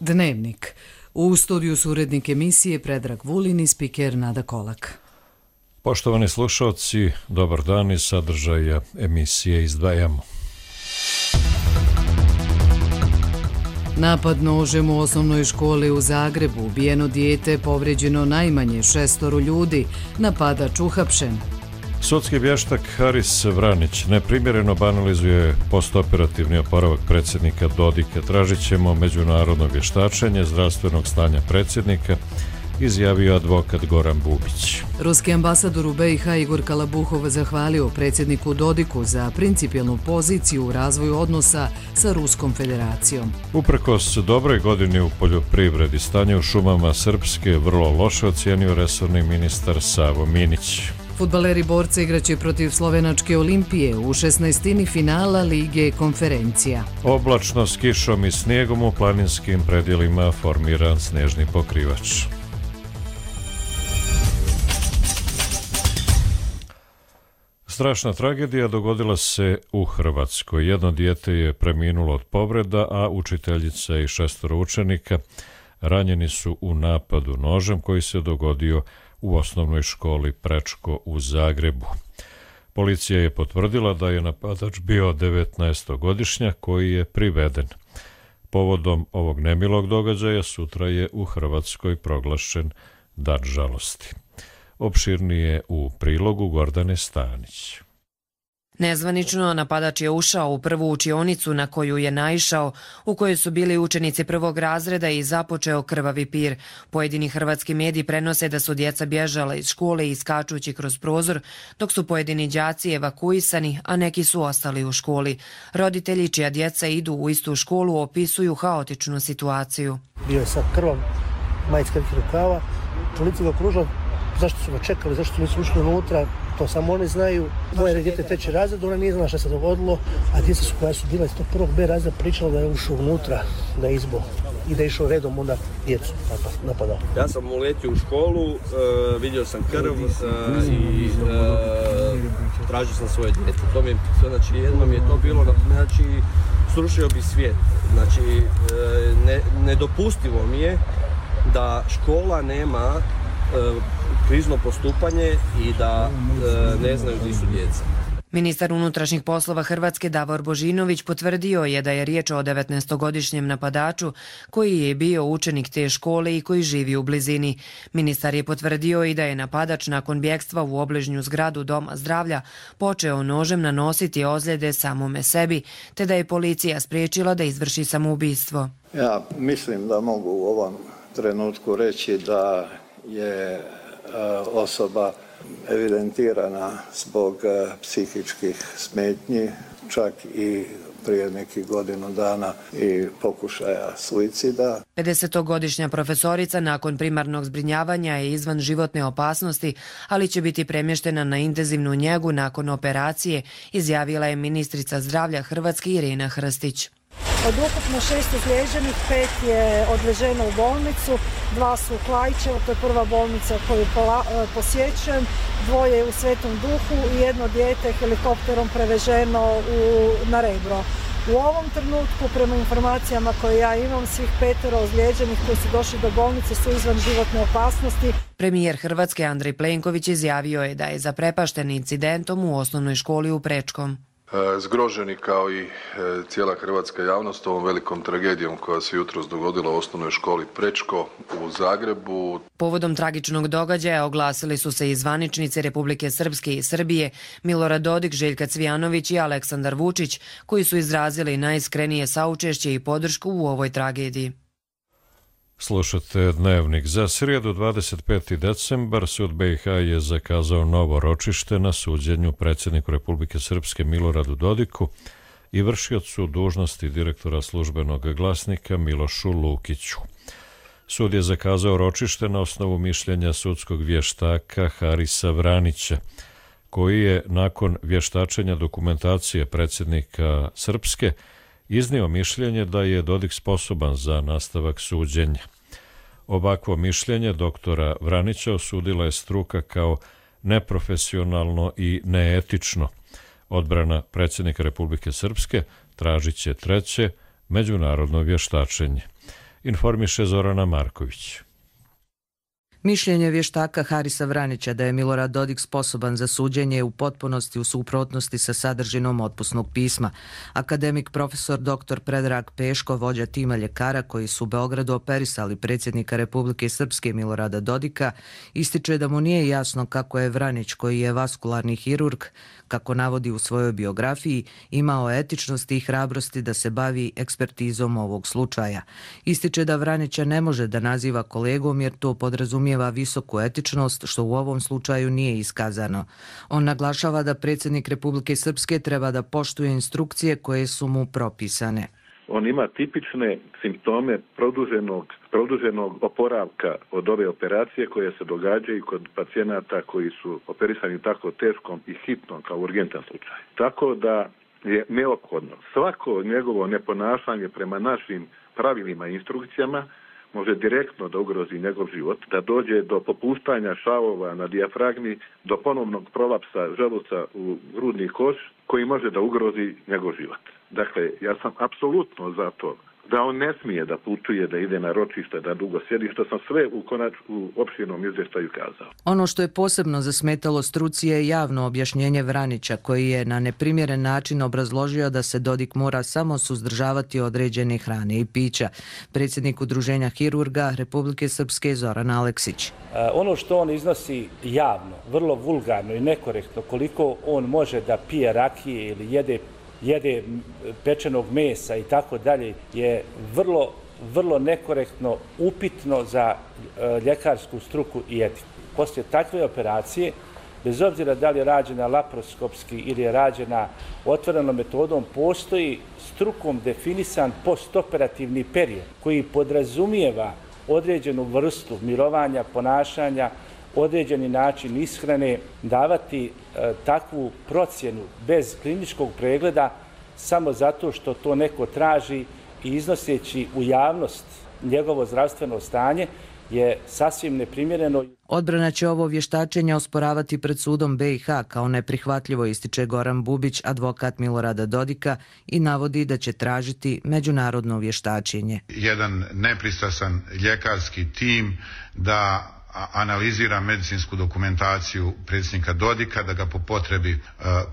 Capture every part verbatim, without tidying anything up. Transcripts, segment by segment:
Dnevnik. U studiju su urednik emisije Predrag Vulin i spiker Nada Kolak. Poštovani slušalci, dobar dan, iz sadržaja emisije izdvajamo. Napad nožem u osnovnoj školi u Zagrebu, ubijeno dijete, povređeno najmanje šestoro ljudi, napadač uhapšen. Sudski vještak Haris Vranić neprimjereno banalizuje postoperativni oporavak predsjednika Dodika. Tražit ćemo međunarodno vještačenje zdravstvenog stanja predsjednika, izjavio advokat Goran Bubić. Ruski ambasador u B i H Igor Kalabuhov zahvalio predsjedniku Dodiku za principijelnu poziciju u razvoju odnosa sa Ruskom federacijom. Uprkos dobroj godini u poljoprivredi, stanje u šumama Srpske vrlo loše ocijenio resorni ministar Savo Minić. Fudbaleri borca igraće protiv slovenačke Olimpije u šesnaestini finala Lige konferencija. Oblačno s kišom i snijegom u planinskim predjelima formiran snježni pokrivač. Strašna tragedija dogodila se u Hrvatskoj. Jedno dijete je preminulo od povreda, a učiteljica i šestoro učenika ranjeni su u napadu nožem koji se dogodio u osnovnoj školi Prečko u Zagrebu. Policija je potvrdila da je napadač bio devetnaestogodišnjak koji je priveden. Povodom ovog nemilog događaja sutra je u Hrvatskoj proglašen Dan žalosti. Opširnije u prilogu Gordane Stanić. Nezvanično napadač je ušao u prvu učionicu na koju je naišao, u kojoj su bili učenici prvog razreda i započeo krvavi pir. Pojedini hrvatski mediji prenose da su djeca bježala iz škole iskačući kroz prozor, dok su pojedini đaci evakuisani, a neki su ostali u školi. Roditelji čija djeca idu u istu školu opisuju haotičnu situaciju. Bio je sad krvav, majica kratkih rukava, policija ga okružila. Zašto su ga čekali, zašto nisu ušli unutra, to samo oni znaju. Moje dijete treći razred, ona nije znala šta se dogodilo, a djeca su koja su bila iz tog prvog B razreda pričala da je ušao unutra na izbo i da je išao redom onda djecu napadao. Ja sam uletio u školu, uh, vidio sam krv uh, i uh, tražio sam svoje dijete. To mi je, znači, jednom je to bilo, znači, srušio bi svijet. Znači, uh, ne, nedopustivo mi je da škola nema uh, krizno postupanje i da e, ne znaju gdje su djeca. Ministar unutrašnjih poslova Hrvatske Davor Božinović potvrdio je da je riječ o devetnaestogodišnjem napadaču koji je bio učenik te škole i koji živi u blizini. Ministar je potvrdio i da je napadač nakon bjegstva u obližnju zgradu Doma zdravlja počeo nožem nanositi ozljede samome sebi, te da je policija spriječila da izvrši samoubistvo. Ja mislim da mogu u ovom trenutku reći da je osoba evidentirana zbog psihičkih smetnji, čak i prije nekih godinu dana i pokušaja suicida. pedesetogodišnja profesorica nakon primarnog zbrinjavanja je izvan životne opasnosti, ali će biti premještena na intenzivnu njegu nakon operacije, izjavila je ministrica zdravlja Hrvatske Irena Hrstić. Od ukupno šest ozlijeđenih, pet je odveženo u bolnicu, dva su u Klaićevu, to je prva bolnica koju posjećujem, dvoje u Svetom Duhu i jedno dijete helikopterom preveženo u, na Rebro. U ovom trenutku, prema informacijama koje ja imam, svih petero ozlijeđenih koji su došli do bolnice su izvan životne opasnosti. Premijer Hrvatske Andrej Plenković izjavio je da je zaprepašten incidentom u osnovnoj školi u Prečkom. Zgroženi kao i cijela hrvatska javnost ovom velikom tragedijom koja se jutros dogodila u osnovnoj školi Prečko u Zagrebu. Povodom tragičnog događaja oglasili su se i zvaničnici Republike Srpske i Srbije, Milorad Dodik, Željka Cvijanović i Aleksandar Vučić, koji su izrazili najiskrenije saučešće i podršku u ovoj tragediji. Slušate Dnevnik. Za srijedu dvadeset peti decembar sud B i H je zakazao novo ročište na suđenju predsjedniku Republike Srpske Miloradu Dodiku i vršiocu dužnosti direktora Službenog glasnika Milošu Lukiću. Sud je zakazao ročište na osnovu mišljenja sudskog vještaka Harisa Vranića, koji je nakon vještačenja dokumentacije predsjednika Srpske iznio mišljenje da je Dodik sposoban za nastavak suđenja. Ovakvo mišljenje doktora Vranića osudila je struka kao neprofesionalno i neetično. Odbrana predsjednika Republike Srpske tražit će treće međunarodno vještačenje. informiše Zorana Marković. Mišljenje vještaka Harisa Vranića da je Milorad Dodik sposoban za suđenje je u potpunosti u suprotnosti sa sadržinom otpusnog pisma. Akademik profesor doktor Predrag Peško, vođa tima ljekara koji su u Beogradu operisali predsjednika Republike Srpske Milorada Dodika, ističe da mu nije jasno kako je Vranić, koji je vaskularni hirurg, kako navodi u svojoj biografiji, imao etičnosti i hrabrosti da se bavi ekspertizom ovog slučaja. Ističe da Vranića ne može da naziva kolegom jer to podrazumijeva visoku etičnost, što u ovom slučaju nije iskazano. On naglašava da predsjednik Republike Srpske treba da poštuje instrukcije koje su mu propisane. On ima tipične simptome produženog, produženog oporavka od ove operacije koje se događaju kod pacijenata koji su operisani tako teškom i hitnom kao urgentan slučaj. Tako da je neophodno svako njegovo neponašanje prema našim pravilima i instrukcijama može direktno da ugrozi njegov život, da dođe do popuštanja šavova na dijafragmi, do ponovnog prolapsa želuca u grudni koš koji može da ugrozi njegov život. Dakle, ja sam apsolutno za to da on ne smije da putuje, da ide na ročište, da dugo sjedi, što sam sve u, konač, u opširnom izvještaju kazao. Ono što je posebno zasmetalo struci je javno objašnjenje Vranića, koji je na neprimjeren način obrazložio da se Dodik mora samo suzdržavati određene hrane i pića. Predsjednik Udruženja hirurga Republike Srpske Zoran Aleksić. Ono što on iznosi javno, vrlo vulgarno i nekorektno, koliko on može da pije rakije ili jede jede pečenog mesa i tako dalje, je vrlo, vrlo nekorektno, upitno za e, ljekarsku struku i etiku. Poslije takve operacije, bez obzira da li je rađena laparoskopski ili je rađena otvorenom metodom, postoji strukom definisan postoperativni period koji podrazumijeva određenu vrstu mirovanja, ponašanja, određeni način ishrane, davati e, takvu procjenu bez kliničkog pregleda samo zato što to neko traži i iznoseći u javnost njegovo zdravstveno stanje je sasvim neprimjereno. Odbrana će ovo vještačenje osporavati pred sudom B i H kao neprihvatljivo, ističe Goran Bubić, advokat Milorada Dodika, i navodi da će tražiti međunarodno vještačenje. Jedan nepristrasan ljekarski tim da analizira medicinsku dokumentaciju predsjednika Dodika, da ga po potrebi e,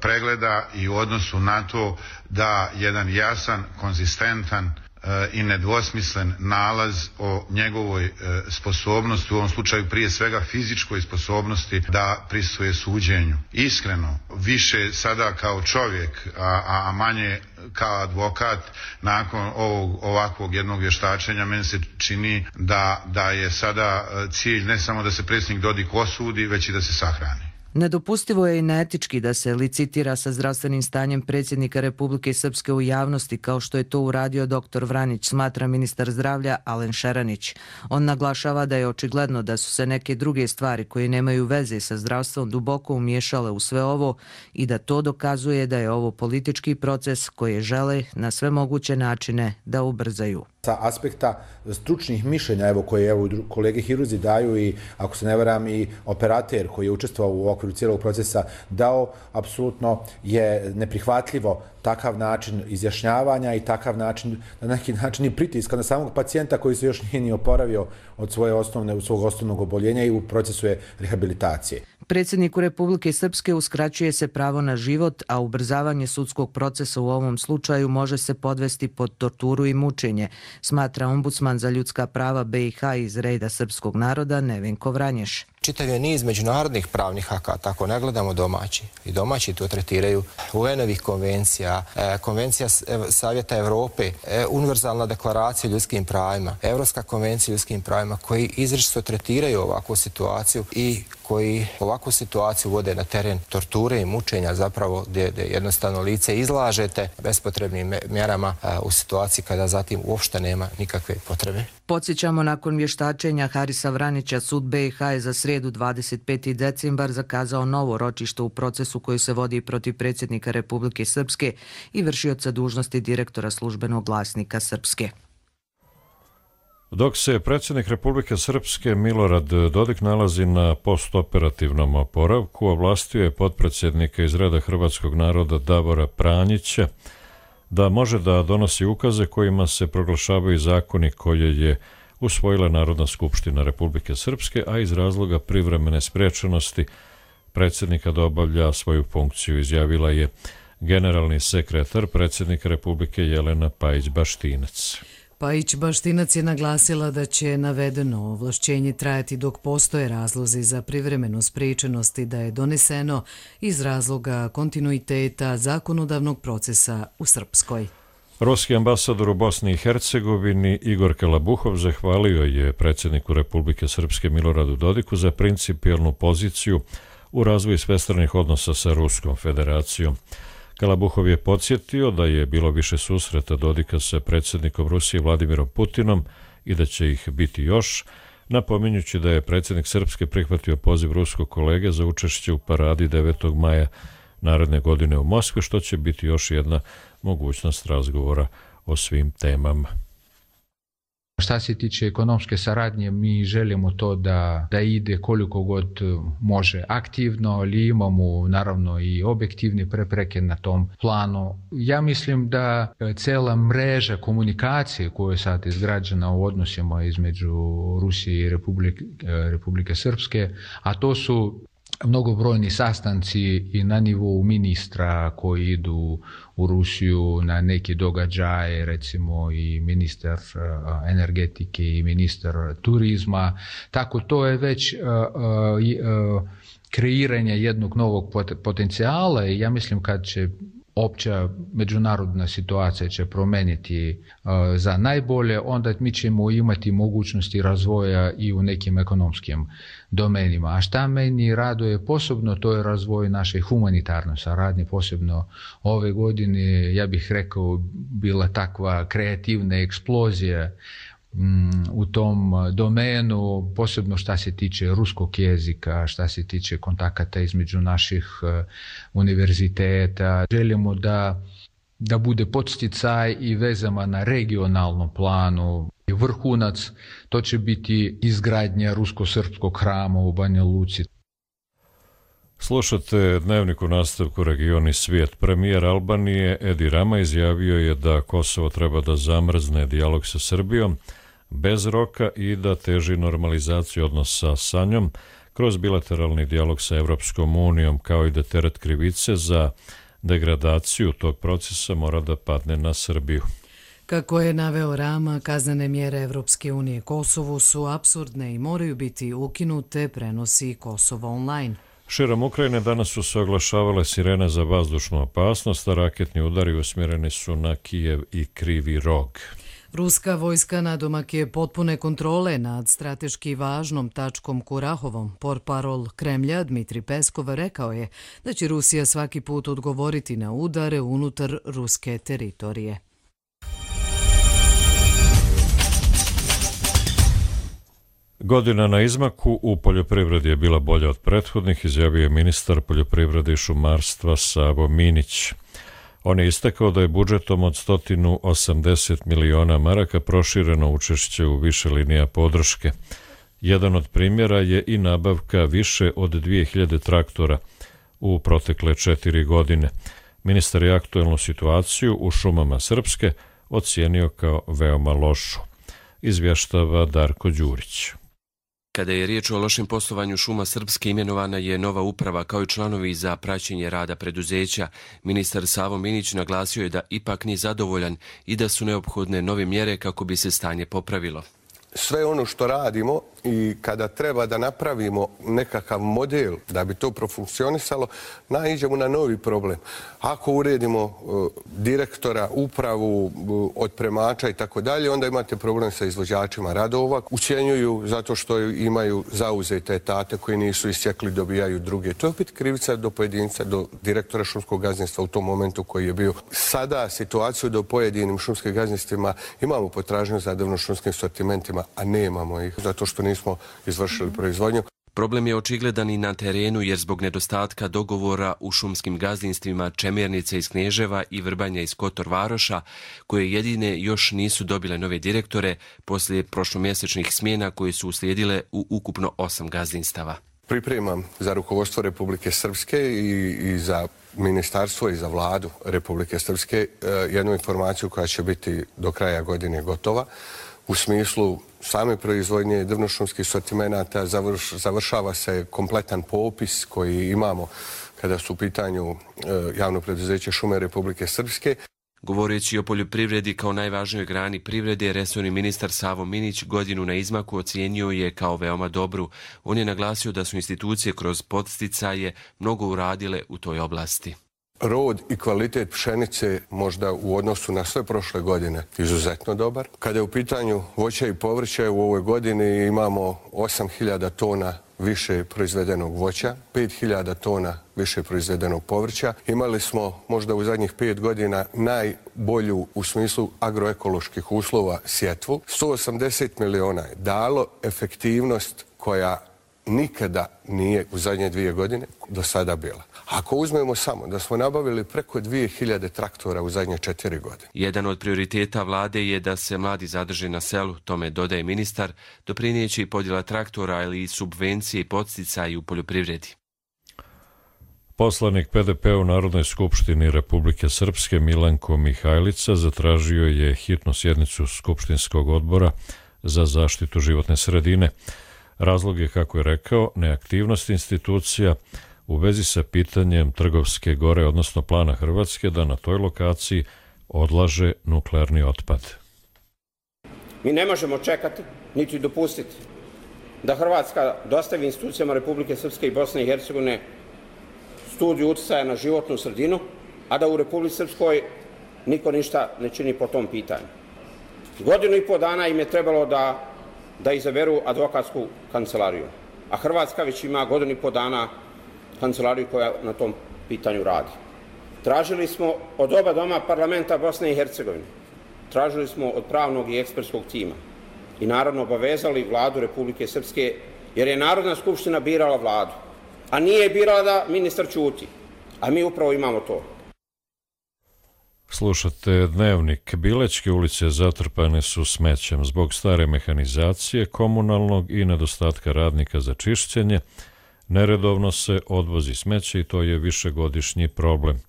pregleda i u odnosu na to da jedan jasan, konzistentan e, i nedvosmislen nalaz o njegovoj e, sposobnosti, u ovom slučaju prije svega fizičkoj sposobnosti da prisustvuje suđenju. Iskreno, više sada kao čovjek, a, a manje kao advokat, nakon ovog ovakvog jednog vještačenja, meni se čini da, da je sada cilj ne samo da se predsjednik Dodik osudi, već i da se sahrani. Nedopustivo je i neetički da se licitira sa zdravstvenim stanjem predsjednika Republike Srpske u javnosti, kao što je to uradio doktor Vranić, smatra ministar zdravlja Alen Šeranić. On naglašava da je očigledno da su se neke druge stvari koje nemaju veze sa zdravstvom duboko umiješale u sve ovo i da to dokazuje da je ovo politički proces koji žele na sve moguće načine da ubrzaju. Sa aspekta stručnih mišljenja, evo koje evo kolege hirurzi daju i ako se ne varam i operater koji je učestvovao u okviru cijelog procesa dao, apsolutno je neprihvatljivo takav način izjašnjavanja i takav način, na neki način i pritiska na samog pacijenta koji se još nije ni oporavio od svoje osnovne, svog osnovnog oboljenja i u procesu je rehabilitacije. Predsjedniku Republike Srpske uskraćuje se pravo na život, a ubrzavanje sudskog procesa u ovom slučaju može se podvesti pod torturu i mučenje, smatra ombudsman za ljudska prava B i H iz reda srpskog naroda Nevenko Vranješ. Čitav je niz međunarodnih pravnih akata, ako ne gledamo domaći. I domaći to tretiraju U N-ovih konvencija, konvencija Savjeta Evrope, univerzalna deklaracija o ljudskim pravima, Evropska konvencija o ljudskim pravima, koji izričito tretiraju ovakvu situaciju i koji ovakvu situaciju vode na teren torture i mučenja, zapravo gdje, gdje jednostavno lice izlažete bespotrebnim mjerama u situaciji kada zatim uopšte nema nikakve potrebe. Podsjećamo, nakon vještačenja Harisa Vranića, sud B i H je za srijedu dvadeset peti decembar zakazao novo ročište u procesu koji se vodi protiv predsjednika Republike Srpske i vršioca dužnosti direktora službenog glasnika Srpske. Dok se predsjednik Republike Srpske Milorad Dodik nalazi na postoperativnom oporavku, ovlastio je potpredsjednika iz reda hrvatskog naroda Davora Pranjića da može da donosi ukaze kojima se proglašavaju zakoni koje je usvojila Narodna skupština Republike Srpske, a iz razloga privremene sprečenosti predsjednika da obavlja svoju funkciju, izjavila je generalni sekretar predsjednika Republike Jelena Pajić-Baštinac. Pajić-Baštinac je naglasila da će navedeno ovlašćenje trajati dok postoje razlozi za privremenu spriječenost i da je doneseno iz razloga kontinuiteta zakonodavnog procesa u Srpskoj. Ruski ambasador u Bosni i Hercegovini Igor Kalabuhov zahvalio je predsjedniku Republike Srpske Miloradu Dodiku za principijelnu poziciju u razvoju svestranih odnosa sa Ruskom federacijom. Kalabuhov je podsjetio da je bilo više susreta Dodika sa predsjednikom Rusije Vladimirom Putinom i da će ih biti još, napominjući da je predsjednik Srpske prihvatio poziv ruskog kolege za učešće u paradi devetog maja naredne godine u Moskvi, što će biti još jedna mogućnost razgovora o svim temama. Šta se tiče ekonomske saradnje, mi želimo to da, da ide koliko god može aktivno, ali imamo naravno i objektivne prepreke na tom planu. Ja mislim da cela mreža komunikacije koja je sad izgrađena u odnosima između Rusije i Republike, Republike Srpske, a to su mnogobrojni sastanci i na nivou ministra koji idu u Rusiju na neki događaje, recimo i ministar energetike i ministar turizma. Tako to je već uh, uh, kreiranje jednog novog potencijala i ja mislim kad će opća međunarodna situacija će promeniti uh, za najbolje, onda mi ćemo imati mogućnosti razvoja i u nekim ekonomskim domenima. A šta meni raduje posebno, to je razvoj naše humanitarne saradnje, posebno ove godine, ja bih rekao, bila takva kreativna eksplozija u tom domenu, posebno šta se tiče ruskog jezika, šta se tiče kontakata između naših univerziteta. Želimo da, da bude podsticaj i vezama na regionalnom planu. Vrhunac, to će biti izgradnja rusko-srpskog hrama u Banja Luci. Slušate Dnevnik u nastavku Region i svijet. Premijer Albanije Edi Rama izjavio je da Kosovo treba da zamrzne dijalog sa Srbijom bez roka i da teži normalizaciju odnosa sa njom kroz bilateralni dijalog sa Evropskom unijom, kao i da teret krivice za degradaciju tog procesa mora da padne na Srbiju. Kako je naveo Rama, kaznene mjere Evropske unije Kosovu su apsurdne i moraju biti ukinute, prenosi Kosovo online. Širom Ukrajine danas su se oglašavale sirene za vazdušnu opasnost, a raketni udari usmjereni su na Kijev i Krivi Rog. Ruska vojska nadomak je potpune kontrole nad strateški važnom tačkom Kurahovom. Portparol Kremlja Dmitri Peskov rekao je da će Rusija svaki put odgovoriti na udare unutar ruske teritorije. Godina na izmaku u poljoprivredi je bila bolja od prethodnih, izjavio je ministar poljoprivrede i šumarstva Savo Minić. On je istakao da je budžetom od sto osamdeset miliona maraka prošireno učešće u više linija podrške. Jedan od primjera je i nabavka više od dvije hiljade traktora u protekle četiri godine. Ministar je aktuelnu situaciju u šumama Srpske ocijenio kao veoma lošu. Izvještava Darko Đurić. Kada je riječ o lošem poslovanju šuma Srpske, imenovana je nova uprava kao i članovi za praćenje rada preduzeća. Ministar Savo Minić naglasio je da ipak nije zadovoljan i da su neophodne nove mjere kako bi se stanje popravilo. Sve ono što radimo i kada treba da napravimo nekakav model da bi to profunkcionisalo, naiđemo na novi problem. Ako uredimo uh, direktora, upravu, uh, otpremača i tako dalje, onda imate problem sa izvođačima radova. Ucjenjuju zato što imaju zauzete etate koji nisu isjekli, dobijaju druge. To je opet krivica do pojedinca, do direktora šumskog gazdinstva u tom momentu koji je bio. Sada situaciju da u pojedinim šumskim gazdinstvima imamo potražnju za drvno-šumskim sortimentima, a nemamo ih zato što nismo izvršili proizvodnju. Problem je očigledan i na terenu jer zbog nedostatka dogovora u šumskim gazdinstvima Čemernice iz Kneževa i Vrbanja iz Kotor Varoša, koje jedine još nisu dobile nove direktore poslije prošlomjesečnih smjena koje su uslijedile u ukupno osam gazdinstava. Pripremam za rukovodstvo Republike Srpske i, i za ministarstvo i za vladu Republike Srpske jednu informaciju koja će biti do kraja godine gotova. U smislu same proizvodnje drvnošumskih sortimenata završ, završava se kompletan popis koji imamo kada su u pitanju javno preduzeće Šume Republike Srpske. Govoreći o poljoprivredi kao najvažnijoj grani privrede, resorni ministar Savo Minić godinu na izmaku ocijenio je kao veoma dobru. On je naglasio da su institucije kroz podsticaje mnogo uradile u toj oblasti. Rod i kvalitet pšenice možda u odnosu na sve prošle godine izuzetno dobar. Kada je u pitanju voća i povrća, u ovoj godini imamo osam hiljada tona više proizvedenog voća, pet hiljada tona više proizvedenog povrća. Imali smo možda u zadnjih pet godina najbolju u smislu agroekoloških uslova sjetvu. sto osamdeset miliona je dalo efektivnost koja nikada nije u zadnje dvije godine do sada bila. Ako uzmemo samo da smo nabavili preko dvije hiljade traktora u zadnje četiri godine. Jedan od prioriteta vlade je da se mladi zadrže na selu, tome dodaje ministar, doprinijeći i podjela traktora ili i subvencije i podsticaji u poljoprivredi. Poslanik P D P u Narodnoj skupštini Republike Srpske Milanko Mihajlica zatražio je hitnu sjednicu Skupštinskog odbora za zaštitu životne sredine. Razlog je, kako je rekao, neaktivnost institucija u vezi sa pitanjem Trgovske gore, odnosno plana Hrvatske da na toj lokaciji odlaže nuklearni otpad. Mi ne možemo čekati, niti dopustiti da Hrvatska dostavi institucijama Republike Srpske i Bosne i Hercegovine studiju uticaja na životnu sredinu, a da u Republici Srpskoj niko ništa ne čini po tom pitanju. Godinu i po dana im je trebalo da, da izaberu advokatsku kancelariju, a Hrvatska već ima godinu i po dana kancelariju koja na tom pitanju radi. Tražili smo od oba doma parlamenta Bosne i Hercegovine, tražili smo od pravnog i ekspertskog tima i naravno obavezali vladu Republike Srpske, jer je Narodna skupština birala vladu, a nije birala da ministar ćuti, a mi upravo imamo to. Slušate Dnevnik. Bilećke ulice zatrpane su smećem zbog stare mehanizacije, komunalnog i nedostatka radnika za čišćenje. Neredovno se odvozi smeće i to je višegodišnji problem.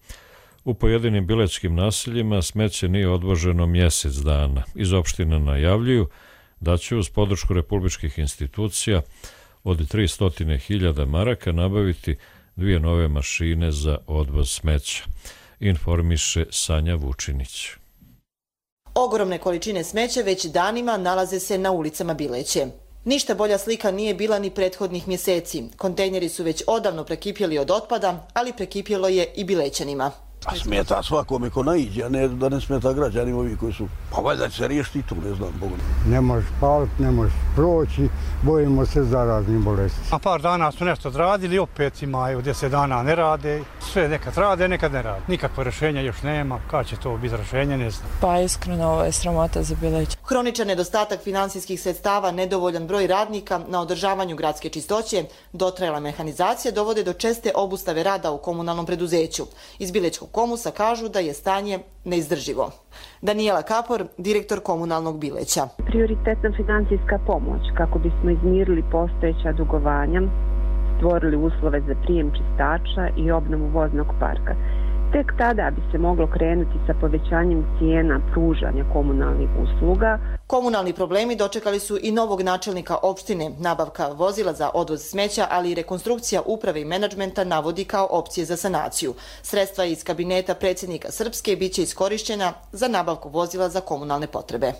U pojedinim bilećkim naseljima smeće nije odvoženo mjesec dana. Iz opštine najavljuju da će uz podršku republičkih institucija od tristo hiljada maraka nabaviti dvije nove mašine za odvoz smeća, informiše Sanja Vučinić. Ogromne količine smeća već danima nalaze se na ulicama Bileće. Ništa bolja slika nije bila ni prethodnih mjeseci. Kontejneri su već odavno prekipjeli od otpada, ali prekipjelo je i Bilećanima. A smeta svakome ko naiđe, a ne da ne smeta građanima ovi koji su... Pa valjda će se riješiti i tu, ne znam, Bogu. Ne možeš paliti, ne možeš proći, bojimo se zaraznih bolesti. A par dana su nešto odradili, opet imaju deset dana ne rade. Sve nekad rade, nekad ne rade. Nikakvo rješenja još nema, kad će to biti rješenje, ne znam. Pa iskreno, ovo je sramota za Bileć. Hroničan nedostatak finansijskih sredstava, nedovoljan broj radnika na održavanju gradske čistoće, dotrajala mehanizacija dovode do česte obustave rada u komunalnom preduzeću. Iz Bilečkog Komusa kažu da je stanje neizdrživo. Daniela Kapor, direktor komunalnog Bileća. Prioritetna financijska pomoć kako bismo izmirili postojeća dugovanja, stvorili uslove za prijem čistača i obnovu voznog parka. Tek tada bi se moglo krenuti sa povećanjem cijena pružanja komunalnih usluga. Komunalni problemi dočekali su i novog načelnika opštine. Nabavka vozila za odvoz smeća, ali i rekonstrukcija uprave i menadžmenta navodi kao opcije za sanaciju. Sredstva iz kabineta predsjednika Srpske biće iskorišćena za nabavku vozila za komunalne potrebe.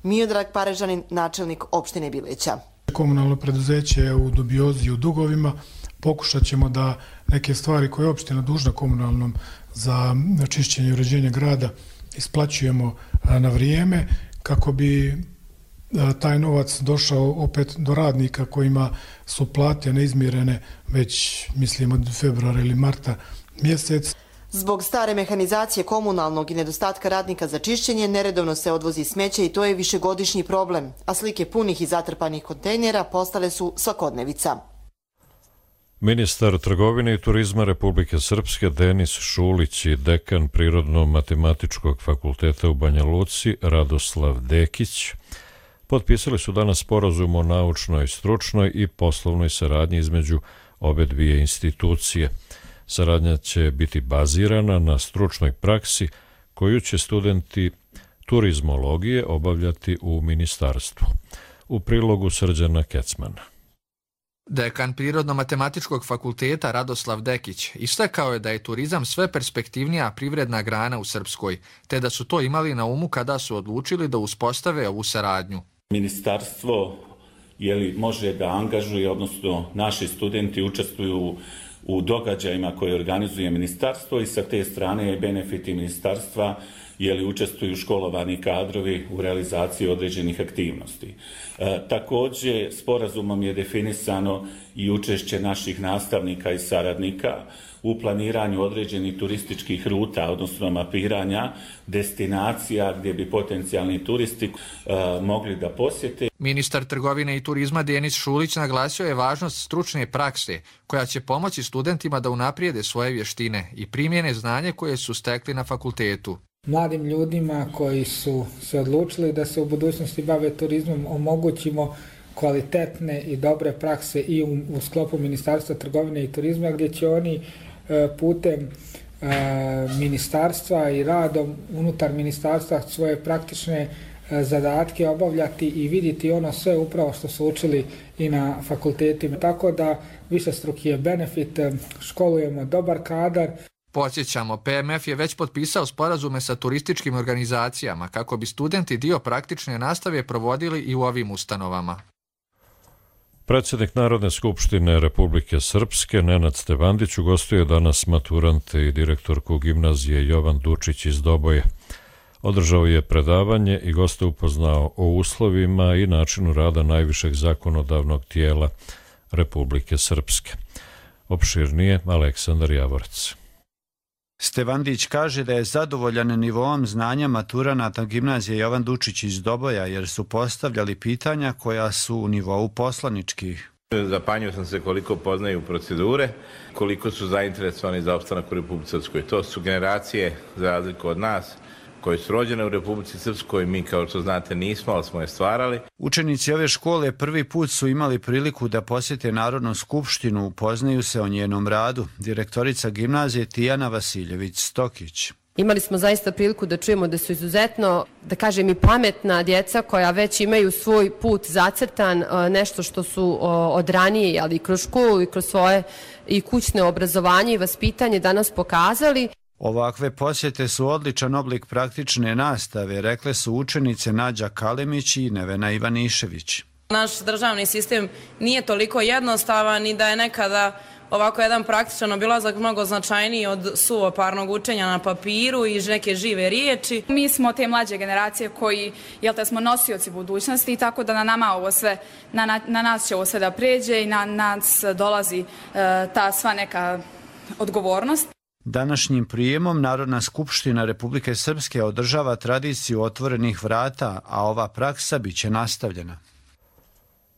Miodrag Parežanin, načelnik opštine Bileća. Komunalno preduzeće je u dubiozi i u dugovima. Pokušat ćemo da neke stvari koje je opština dužna komunalnom za čišćenje i uređenje grada isplaćujemo na vrijeme kako bi taj novac došao opet do radnika kojima su plate neizmjerene već mislim od februara ili marta mjesec. Zbog stare mehanizacije komunalnog i nedostatka radnika za čišćenje neredovno se odvozi smeće i to je višegodišnji problem, a slike punih i zatrpanih kontejnera postale su svakodnevica. Ministar trgovine i turizma Republike Srpske Denis Šulić i dekan Prirodno-matematičkog fakulteta u Banja Luci Radoslav Dekić potpisali su danas sporazum o naučnoj, stručnoj i poslovnoj saradnji između obe dvije institucije. Saradnja će biti bazirana na stručnoj praksi koju će studenti turizmologije obavljati u ministarstvu. U prilogu Srđana Kecmana. Dekan Prirodno-matematičkog fakulteta Radoslav Dekić istakao je da je turizam sve perspektivnija privredna grana u Srpskoj, te da su to imali na umu kada su odlučili da uspostave ovu saradnju. Ministarstvo je li može da angažuje, odnosno naši studenti učestvuju u događajima koje organizuje ministarstvo i sa te strane je benefiti ministarstva je li učestvuju školovani kadrovi u realizaciji određenih aktivnosti. E, također, sporazumom je definisano i učešće naših nastavnika i saradnika u planiranju određenih turističkih ruta, odnosno mapiranja destinacija gdje bi potencijalni turisti e, mogli da posjete. Ministar trgovine i turizma Denis Šulić naglasio je važnost stručne prakse koja će pomoći studentima da unaprijede svoje vještine i primjene znanje koje su stekli na fakultetu. Mladim ljudima koji su se odlučili da se u budućnosti bave turizmom omogućimo kvalitetne i dobre prakse i u, u sklopu Ministarstva trgovine i turizma, gdje će oni e, putem e, ministarstva i radom unutar ministarstva svoje praktične e, zadatke obavljati i vidjeti ono sve upravo što su učili i na fakultetima. Tako da višestruki je benefit, školujemo dobar kadar. Podsjećamo, P M F je već potpisao sporazume sa turističkim organizacijama kako bi studenti dio praktične nastave provodili i u ovim ustanovama. Predsjednik Narodne skupštine Republike Srpske Nenad Stevandić ugostio je danas maturante i direktorku gimnazije Jovan Dučić iz Doboje. Održao je predavanje i goste upoznao o uslovima i načinu rada najvišeg zakonodavnog tijela Republike Srpske. Opširnije Aleksandar Javorec. Stevandić kaže da je zadovoljan nivoom znanja maturanata gimnazije Jovan Dučić iz Doboja jer su postavljali pitanja koja su u nivou poslaničkih. Zapanjio sam se koliko poznaju procedure, koliko su zainteresovani za opstanak u Republici Srpskoj. To su generacije, za razliku od nas, koji su rođene u Republici Srpskoj, mi kao što znate nismo, ali smo je stvarali. Učenici ove škole prvi put su imali priliku da posjete Narodnu skupštinu, upoznaju se o njenom radu. Direktorica gimnazije Tijana Vasiljević-Stokić. Imali smo zaista priliku da čujemo da su izuzetno, da kažem, i pametna djeca koja već imaju svoj put zacrtan, nešto što su od ranije, ali i kroz školu i kroz svoje i kućne obrazovanje i vaspitanje danas pokazali. Ovakve posjete su odličan oblik praktične nastave, rekle su učenice Nađa Kalemić i Nevena Ivanišević. Naš državni sistem nije toliko jednostavan i da je nekada ovako jedan praktičan obilazak mnogo značajniji od suvoparnog učenja na papiru i neke žive riječi. Mi smo te mlađe generacije koji, jel te, smo nosioci budućnosti i tako da na nama ovo sve, na, na, na nas će ovo sve da pređe i na nas dolazi e, ta sva neka odgovornost. Današnjim prijemom Narodna skupština Republike Srpske održava tradiciju otvorenih vrata, a ova praksa biće nastavljena.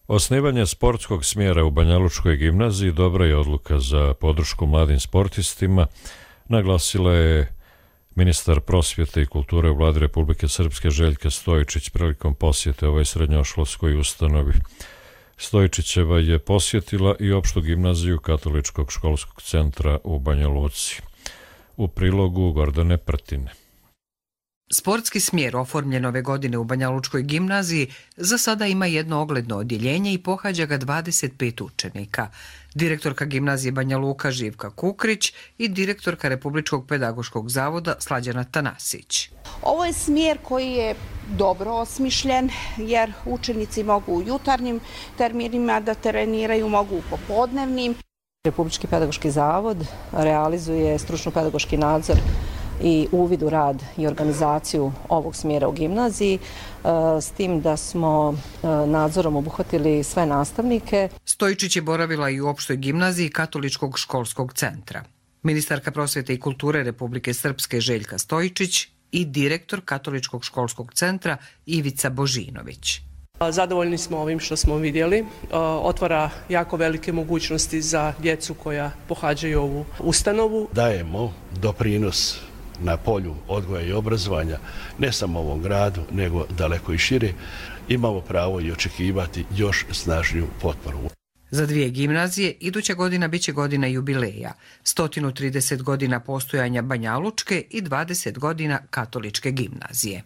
Osnivanje sportskog smjera u Banjalučkoj gimnaziji dobra je odluka za podršku mladim sportistima, naglasila je ministar prosvjete i kulture u Vladi Republike Srpske Željka Stojičić prilikom posjete ovoj srednjoškolskoj ustanovi. Stojičićeva je posjetila i opštu gimnaziju Katoličkog školskog centra u Banja Luci. U prilogu Gordane Prtine. Sportski smjer oformljen ove godine u Banjalučkoj gimnaziji za sada ima jedno ogledno odjeljenje i pohađa ga dvadeset pet učenika. Direktorka gimnazije Banja Luka Živka Kukrić i direktorka Republičkog pedagoškog zavoda Slađana Tanasić. Ovo je smjer koji je dobro osmišljen jer učenici mogu u jutarnjim terminima da treniraju, mogu u popodnevnim. Republički pedagoški zavod realizuje stručno-pedagoški nadzor i uvid u rad i organizaciju ovog smjera u gimnaziji, s tim da smo nadzorom obuhvatili sve nastavnike. Stojičić je boravila i u opštoj gimnaziji Katoličkog školskog centra. Ministarka prosvjete i kulture Republike Srpske Željka Stojičić i direktor Katoličkog školskog centra Ivica Božinović. Zadovoljni smo ovim što smo vidjeli. Otvara jako velike mogućnosti za djecu koja pohađaju ovu ustanovu. Dajemo doprinos na polju odgoja i obrazovanja, ne samo u ovom gradu, nego daleko i šire, imamo pravo i očekivati još snažniju potporu. Za dvije gimnazije iduća godina biće godina jubileja, sto trideset godina postojanja Banjalučke i dvadeset godina Katoličke gimnazije.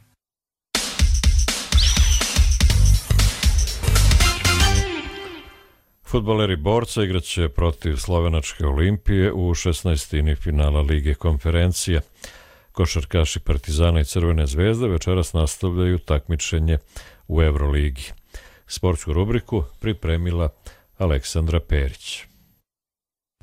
Fudbaleri Borca igraće protiv Slovenačke Olimpije u šesnaestini finala Lige konferencija. Košarkaši Partizana i Crvene zvezde večeras nastavljaju takmičenje u Euroligi. Sportsku rubriku pripremila Aleksandra Perić.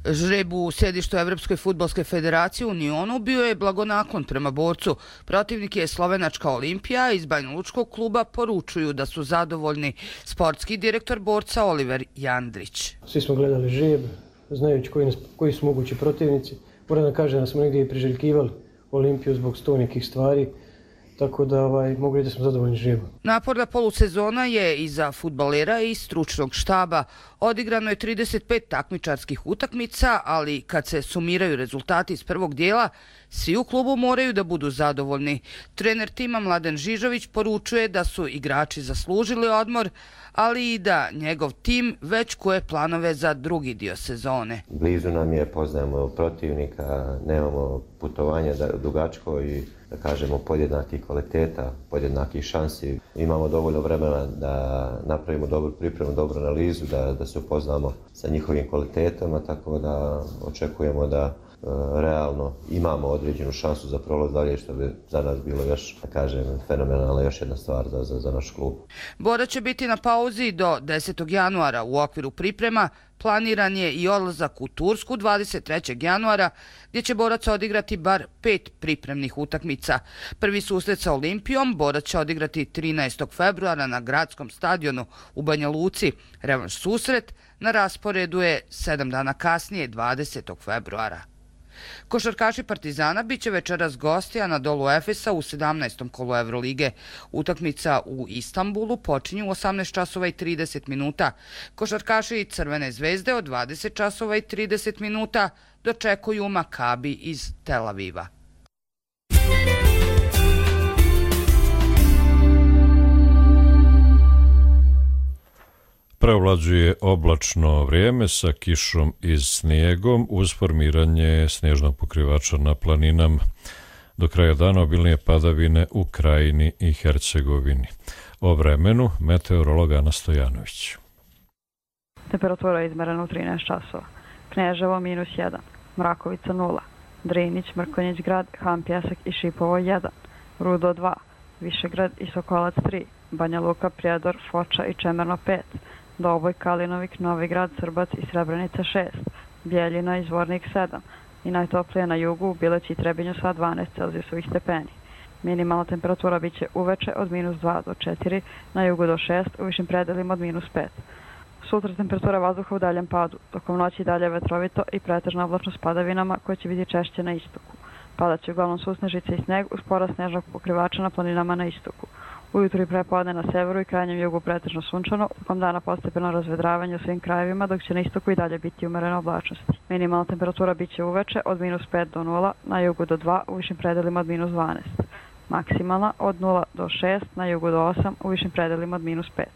Žreb u sjedištu Evropske fudbalske federacije u Nionu bio je blagonaklon prema Borcu. Protivnik je Slovenačka Olimpija. Iz Banjalučkog kluba poručuju da su zadovoljni. Sportski direktor Borca Oliver Jandrić. Svi smo gledali žreb, znajući koji, nas, koji su mogući protivnici. Moram da kažem da smo negdje i priželjkivali Olimpiju zbog sto nekih stvari. Tako da ovaj, mogu reći da smo zadovoljni žrebom. Naporna polusezona je i za fudbalera i stručnog štaba. Odigrano je trideset pet takmičarskih utakmica, ali kad se sumiraju rezultati iz prvog dijela, svi u klubu moraju da budu zadovoljni. Trener tima Mladen Žižović poručuje da su igrači zaslužili odmor, ali i da njegov tim već koje planove za drugi dio sezone. Blizu nam je, poznajemo protivnika, nemamo putovanja dugačko i da kažemo podjednakih kvaliteta, podjednakih šansi. Imamo dovoljno vremena da napravimo dobru pripremu, dobru analizu, da, da se upoznamo sa njihovim kvalitetama, tako da očekujemo da e, realno imamo određenu šansu za prolaz dalje, što bi za nas bilo još, da kažem, fenomenalna još jedna stvar za, za, za naš klub. Bora će biti na pauzi do desetog januara. U okviru priprema planiran je i odlazak u Tursku dvadeset trećeg januara, gdje će Borac odigrati bar pet pripremnih utakmica. Prvi susret sa Olimpijom Borac će odigrati trinaestog februara na gradskom stadionu u Banja Luci. Revanš susret na rasporedu je sedam dana kasnije, dvadesetog februara. Košarkaši Partizana biće večeras gosti Anadolu Efesa u sedamnaestom kolu Evrolige. Utakmica u Istanbulu počinje u osamnaest časova i trideset minuta. Košarkaši Crvene zvezde od dvadeset časova i trideset minuta dočekuju Makabi iz Tel Aviva. Preovlađuje oblačno vrijeme sa kišom i snijegom uz formiranje snježnog pokrivača na planinama. Do kraja dana obilnije padavine u Krajini i Hercegovini. O vremenu meteorolog Ana Stojanović. Temperatura je izmerena u trinaest časova. Kneževo minus jedan, Mrakovica nula, Drinić, Mrkonjić grad, Han Pjesak i Šipovo jedan, Rudo dva, Višegrad i Sokolac tri, Banja Luka, Prijedor, Foča i Čemerno pet, Doboj, Kalinovik, Novi Grad, Srbac i Srebrenica šest, Bijeljina i Zvornik sedam i najtoplije na jugu u Bileći i Trebinju sva dvanaest Celzijusovih stepeni. Minimalna temperatura biće uveče od minus dva do četiri, na jugu do šest, u višim predelima od minus pet. Sutra temperatura vazduha u daljem padu, tokom noći dalje vetrovito i pretežna oblačno s padavinama koje će biti češće na istoku. Padat će uglavnom susnežice i sneg uz porast snežnog pokrivača na planinama na istoku. Ujutru i prepodne na severu i krajnjem jugu pretežno sunčano, tokom dana postepeno razvedravanje u svim krajevima, dok će na istoku i dalje biti umerena oblačnosti. Minimalna temperatura biće uveče od minus pet do nula, na jugu do dva, u višim predelima od minus dvanaest. Maksimalna od nula do šest, na jugu do osam, u višim predelima od minus pet.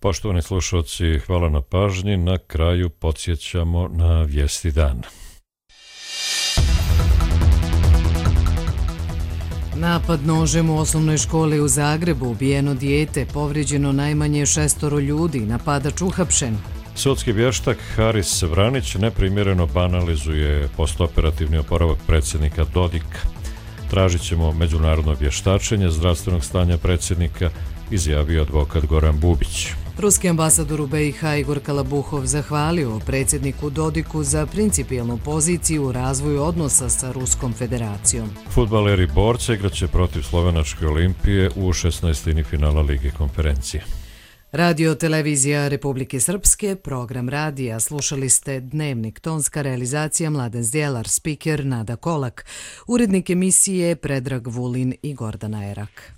Poštovani slušalci, hvala na pažnji. Na kraju podsjećamo na vijesti dana. Napad nožem u osnovnoj školi u Zagrebu, ubijeno dijete, povrijeđeno najmanje šestoro ljudi, napadač uhapšen. Sudski vještak Haris Vranić neprimjereno banalizuje postoperativni oporavak predsjednika Dodika. Tražit ćemo međunarodno vještačenje zdravstvenog stanja predsjednika, izjavio advokat Goran Bubić. Ruski ambasador u B i H Igor Kalabuhov zahvalio predsjedniku Dodiku za principijelnu poziciju u razvoju odnosa sa Ruskom federacijom. Fudbaleri Borca igraće protiv Slovenačke Olimpije u šesnaestini finala Lige konferencije. Radio televizija Republike Srpske, program radija, slušali ste Dnevnik, tonska realizacija Mladen Zdjelar, spiker Nada Kolak, urednik emisije Predrag Vulin i Gordana Erak.